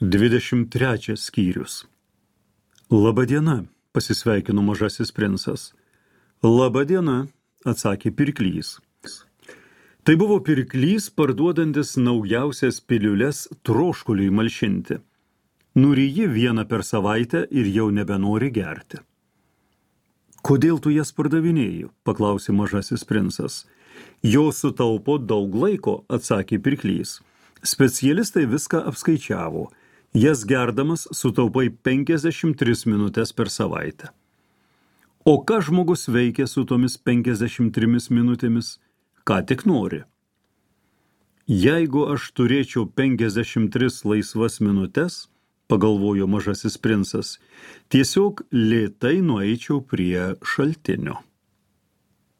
23 skyrius. Labadiena, pasisveikino mažasis princas. Labadiena, atsakė pirklys. Tai buvo pirklys, parduodantis naujausias piliules troškuliui malšinti. Nuryji vieną per savaitę ir jau nebenori gerti. Kodėl tu jas pardavinėji, paklausė mažasis princas. Jo sutaupo daug laiko, atsakė pirklys. Specialistai viską apskaičiavo. Jas gerdamas sutaupai 53 minutės per savaitę. O ką žmogus veikia su tomis 53 minutėmis? Ką tik nori. Jeigu aš turėčiau 53 laisvas minutės, pagalvojo mažasis princas, tiesiog lėtai nueičiau prie šaltinio.